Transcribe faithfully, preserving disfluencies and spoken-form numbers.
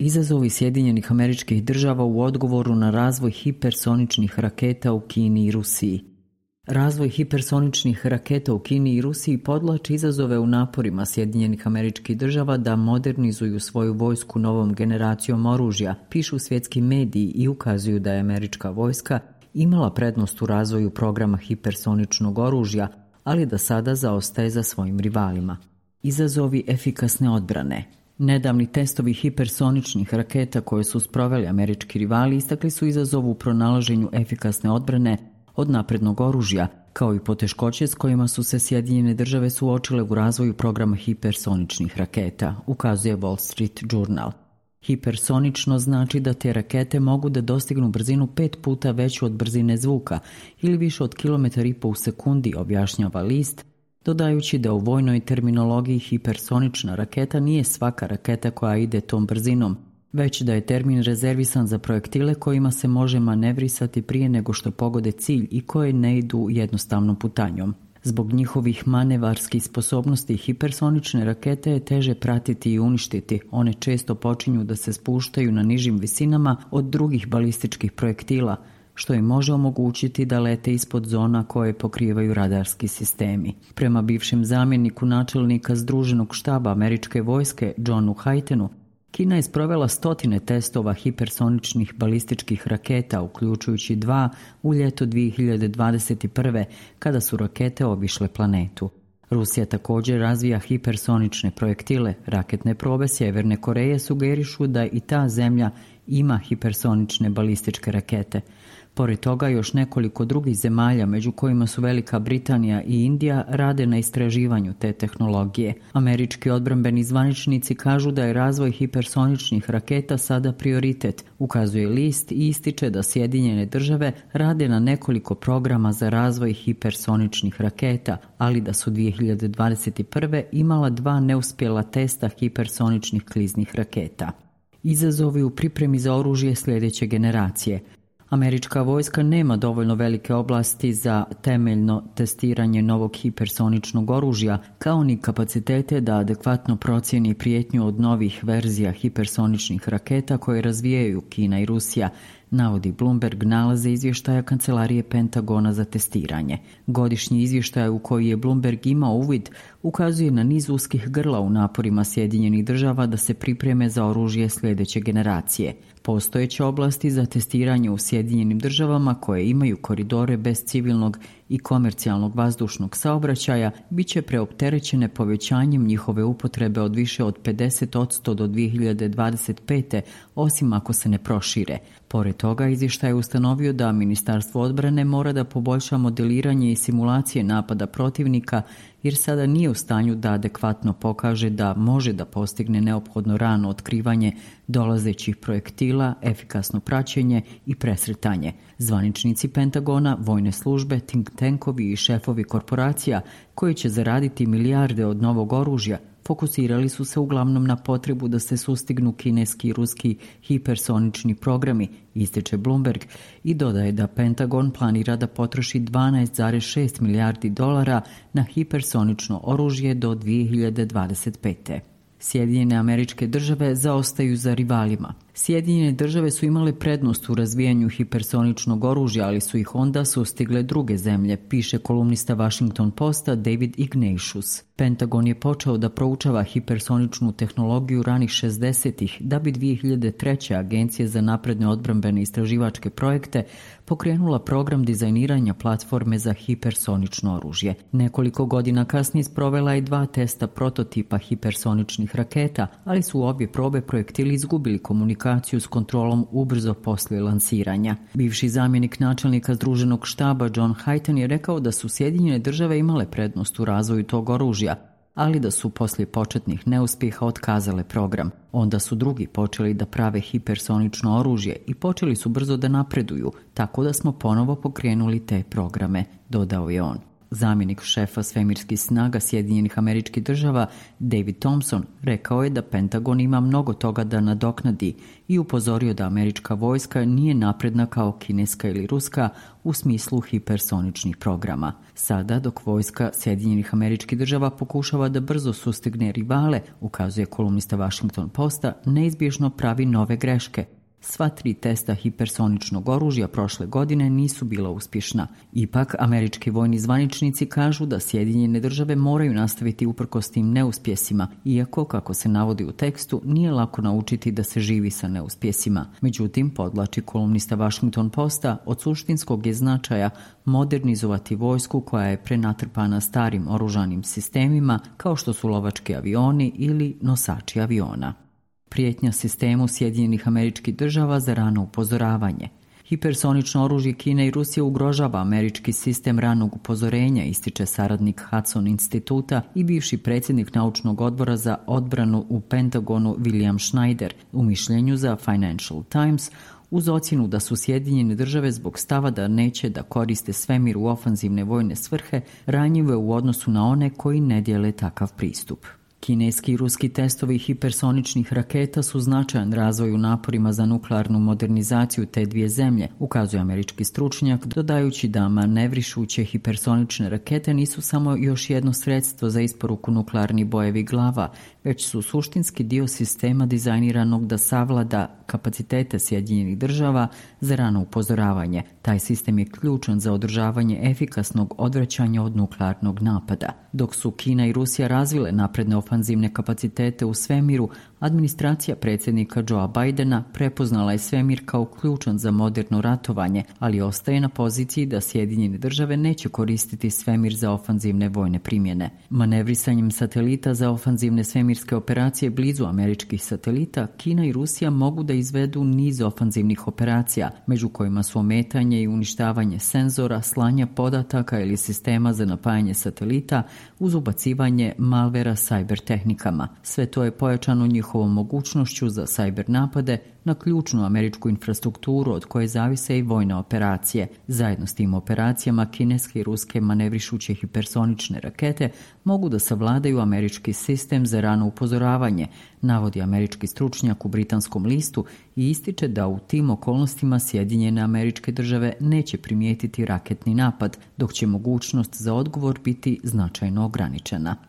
izazovi Sjedinjenih Američkih Država u odgovoru na razvoj hipersoničnih raketa u Kini i Rusiji. Razvoj hipersoničnih raketa u Kini i Rusiji podvlači izazove u naporima Sjedinjenih Američkih Država da modernizuju svoju vojsku novom generacijom oružja, pišu svjetski mediji i ukazuju da je američka vojska imala prednost u razvoju programa hipersoničnog oružja, ali da sada zaostaje za svojim rivalima. Izazovi efikasne odbrane. Nedavni testovi hipersoničnih raketa koje su sproveli američki rivali istakli su izazov u pronalaženju efikasne odbrane od naprednog oružja, kao i poteškoće s kojima su se Sjedinjene Države suočile u razvoju programa hipersoničnih raketa, ukazuje Wall Street Journal. Hipersonično znači da te rakete mogu da dostignu brzinu pet puta veću od brzine zvuka ili više od kilometar i po u sekundi, objašnjava list, dodajući da u vojnoj terminologiji hipersonična raketa nije svaka raketa koja ide tom brzinom, već da je termin rezervisan za projektile kojima se može manevrisati prije nego što pogode cilj i koje ne idu jednostavnom putanjom. Zbog njihovih manevarskih sposobnosti hipersonične rakete je teže pratiti i uništiti. One često počinju da se spuštaju na nižim visinama od drugih balističkih projektila, što im može omogućiti da lete ispod zona koje pokrivaju radarski sistemi. Prema bivšem zamjeniku načelnika Združenog štaba američke vojske Johnu Haytenu, Kina je sprovela stotine testova hipersoničnih balističkih raketa, uključujući dva u ljeto dvije hiljade dvadeset prve. kada su rakete obišle planetu. Rusija također razvija hipersonične projektile. Raketne probe Sjeverne Koreje sugerišu da i ta zemlja ima hipersonične balističke rakete. Pored toga, još nekoliko drugih zemalja, među kojima su Velika Britanija i Indija, rade na istraživanju te tehnologije. Američki odbrambeni zvaničnici kažu da je razvoj hipersoničnih raketa sada prioritet, ukazuje list i ističe da Sjedinjene Države rade na nekoliko programa za razvoj hipersoničnih raketa, ali da su dvije hiljade dvadeset prve. imala dva neuspjela testa hipersoničnih kliznih raketa. Izazovi u pripremi za oružje sljedeće generacije. Američka vojska nema dovoljno velike oblasti za temeljno testiranje novog hipersoničnog oružja, kao ni kapacitete da adekvatno procijeni prijetnju od novih verzija hipersoničnih raketa koje razvijaju Kina i Rusija, navodi Bloomberg nalaze izvještaja Kancelarije Pentagona za testiranje. Godišnji izvještaj u koji je Bloomberg imao uvid ukazuje na niz uskih grla u naporima Sjedinjenih Država da se pripreme za oružje sljedeće generacije. Postojeće oblasti za testiranje u Sjedinjenim Državama koje imaju koridore bez civilnog i komercijalnog vazdušnog saobraćaja bit će preopterećene povećanjem njihove upotrebe od više od pedeset posto do dvije hiljade dvadeset pete. osim ako se ne prošire. Pored toga, izvještaj je ustanovio da Ministarstvo odbrane mora da poboljša modeliranje i simulacije napada protivnika, jer sada nije u stanju da adekvatno pokaže da može da postigne neophodno rano otkrivanje dolazećih projektila, efikasno praćenje i presretanje. Zvaničnici Pentagona, vojne službe, think tankovi i šefovi korporacija koji će zaraditi milijarde od novog oružja fokusirali su se uglavnom na potrebu da se sustignu kineski i ruski hipersonični programi, ističe Bloomberg, i dodaje da Pentagon planira da potroši dvanaest zarez šest milijardi dolara na hipersonično oružje do dvije hiljade dvadeset pete. Sjedinjene Američke Države zaostaju za rivalima. Sjedinjene Države su imale prednost u razvijanju hipersoničnog oružja, ali su ih onda sustigle druge zemlje, piše kolumnista Washington Posta David Ignatius. Pentagon je počeo da proučava hipersoničnu tehnologiju ranih šezdesetih, da bi dvije hiljade treće. Agencija za napredne odbrambene istraživačke projekte pokrenula program dizajniranja platforme za hipersonično oružje. Nekoliko godina kasnije sprovela je dva testa prototipa hipersoničnih raketa, ali su u obje probe projektili izgubili komunikaciju s kontrolom ubrzo poslije lansiranja. Bivši zamjenik načelnika Združenog štaba John Hayten je rekao da su Sjedinjene Države imale prednost u razvoju tog oružja, ali da su poslije početnih neuspjeha otkazale program. Onda su drugi počeli da prave hipersonično oružje i počeli su brzo da napreduju, tako da smo ponovo pokrenuli te programe, dodao je on. Zamjenik šefa svemirskih snaga Sjedinjenih Američkih Država David Thompson rekao je da Pentagon ima mnogo toga da nadoknadi i upozorio da američka vojska nije napredna kao kineska ili ruska u smislu hipersoničnih programa. Sada, dok vojska Sjedinjenih Američkih Država pokušava da brzo sustigne rivale, ukazuje kolumnista Washington Posta, neizbježno pravi nove greške. Sva tri testa hipersoničnog oružja prošle godine nisu bila uspješna. Ipak, američki vojni zvaničnici kažu da Sjedinjene Države moraju nastaviti uprkos tim neuspjesima, iako, kako se navodi u tekstu, nije lako naučiti da se živi sa neuspjesima. Međutim, podlači kolumnista Washington Posta, od suštinskog je značaja modernizovati vojsku koja je prenatrpana starim oružanim sistemima, kao što su lovački avioni ili nosači aviona. Prijetnja sistemu Sjedinjenih Američkih Država za rano upozoravanje. Hipersonično oružje Kine i Rusije ugrožava američki sistem ranog upozorenja, ističe saradnik Hudson instituta i bivši predsjednik naučnog odbora za odbranu u Pentagonu William Schneider u mišljenju za Financial Times, uz ocjenu da su Sjedinjene Države zbog stava da neće da koriste svemir u ofanzivne vojne svrhe ranjive u odnosu na one koji ne dijele takav pristup. Kineski i ruski testovi hipersoničnih raketa su značajan razvoj u naporima za nuklearnu modernizaciju te dvije zemlje, ukazuje američki stručnjak, dodajući da manevrišuće hipersonične rakete nisu samo još jedno sredstvo za isporuku nuklearnih bojevi glava, već su suštinski dio sistema dizajniranog da savlada kapacitete Sjedinjenih Država za rano upozoravanje. Taj sistem je ključan za održavanje efikasnog odvraćanja od nuklearnog napada. Dok su Kina i Rusija razvile napredne ofanzivne kapacitete u svemiru, administracija predsjednika Joea Bidena prepoznala je svemir kao ključan za moderno ratovanje, ali ostaje na poziciji da Sjedinjene Države neće koristiti svemir za ofanzivne vojne primjene. Manevrisanjem satelita za ofanzivne svemirske operacije blizu američkih satelita, Kina i Rusija mogu da izvedu niz ofanzivnih operacija, među kojima su ometanje i uništavanje senzora, slanja podataka ili sistema za napajanje satelita uz ubacivanje malvera cyber tehnikama. Sve to je pojačano njihovom mogućnošću za cyber napade na ključnu američku infrastrukturu od koje zavise i vojne operacije. Zajedno s tim operacijama kineske i ruske manevrišuće hipersonične rakete mogu da savladaju američki sistem za rano upozoravanje, navodi američki stručnjak u britanskom listu i ističe da u tim okolnostima Sjedinjene Američke Države neće primijetiti raketni napad, dok će mogućnost za odgovor biti značajno ograničena.